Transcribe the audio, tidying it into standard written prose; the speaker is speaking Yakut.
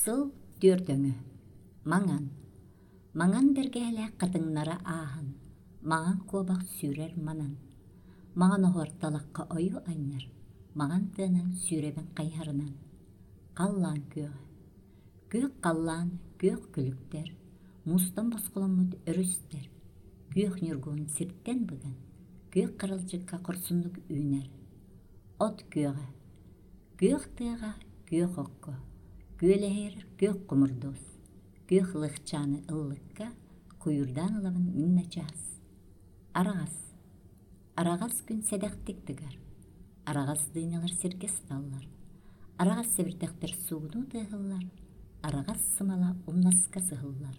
Сыл түөрт өҥө. Маҥан. Маҥан бэргэһэлээх хатыҥнара ааһан, маҥан куобах сүүрэр манан. Маҥан оһуор талахха ойуу анньар, маҥан тыанан сүүрэбин хайыһарынан. Халлаан күөҕэ. Күөх халлаан, күөх күлүктэр, муустан босхоломмут өрүстэр, күөх ньургуһун сиртэн быган, күөх харалдьыкка хорсуннук үүнэр. От күөҕэ. Күөх тыаҕа, күөх окко, күөлэһийэр күөх хомурдуос, күөх лыхчааны ыллыкка куйуурдаан ылабын мин начаас. Араҕас. Араҕас күн сэдэхтик тыгар, араҕас дыыньалар сиргэ сыталлар, араҕас сэбирдэхтэр суугунуу тыаһыллар, араҕас сымала умнаска сыһыллар.